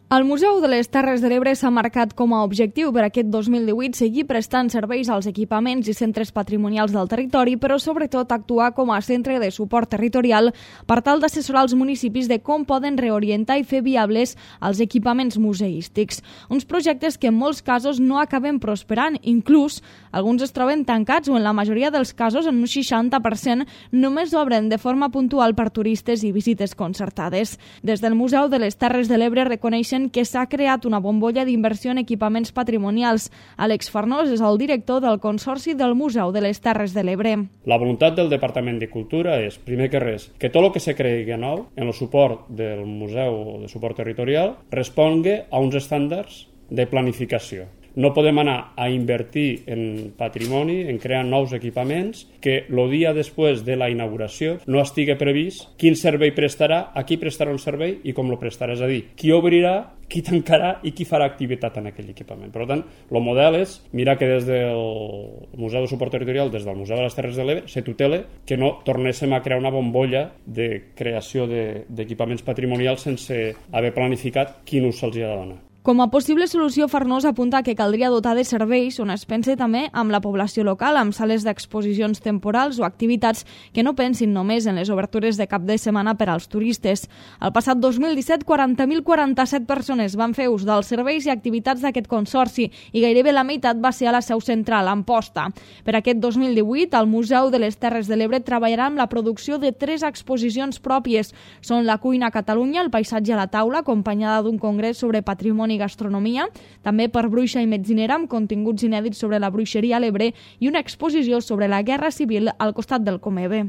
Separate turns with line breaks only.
El Museu de les Terres de l'Ebre s'ha marcat com a objectiu per aquest 2018 seguir prestant serveis als equipaments i centres patrimonials del territori, però sobretot actuar com a centre de suport territorial per tal d'assessorar els municipis de com poden reorientar i fer viables els equipaments museístics. Uns projectes que en molts casos no acaben prosperant, inclús alguns es troben tancats o en la majoria dels casos, en un 60%, només obren de forma puntual per turistes i visites concertades. Des del Museu de les Terres de l'Ebre reconeixen que s'ha creat una bombolla d'inversió en equipaments patrimonials. Àlex Farnós és el director del Consorci del Museu de les Terres de l'Ebre.
La voluntat del Departament de Cultura és, primer que res, que tot el que se creï nou en el suport del Museu de Suport Territorial respongui a uns estàndards de planificació. No podem anar a invertir en patrimoni, en crear nous equipaments, que el dia després de la inauguració no estigui previst quin servei prestarà, a qui prestarà un servei i com el prestarà. És a dir, qui obrirà, qui tancarà i qui farà activitat en aquell equipament. Per tant, el model és mirar que des del Museu de Suport Territorial, des del Museu de les Terres de l'Ebre, se tutele que no tornéssim a crear una bombolla de creació d'equipaments patrimonials sense haver planificat quin ús se'ls ha de donar.
Com a possible solució, Farnós apunta que caldria dotar de serveis on es pense també amb la població local, amb sales d'exposicions temporals o activitats que no pensin només en les obertures de cap de setmana per als turistes. El passat 2017, 40.047 persones van fer ús dels serveis i activitats d'aquest consorci i gairebé la meitat va ser a la seu central, a Amposta. Per aquest 2018, el Museu de les Terres de l'Ebre treballarà amb la producció de 3 exposicions pròpies. Són la cuina a Catalunya, el paisatge a la taula, acompanyada d'un congrés sobre patrimoni i gastronomia, també per bruixa i metzinera amb continguts inèdits sobre la bruixeria a l'Ebre i una exposició sobre la Guerra Civil al costat del Comebe.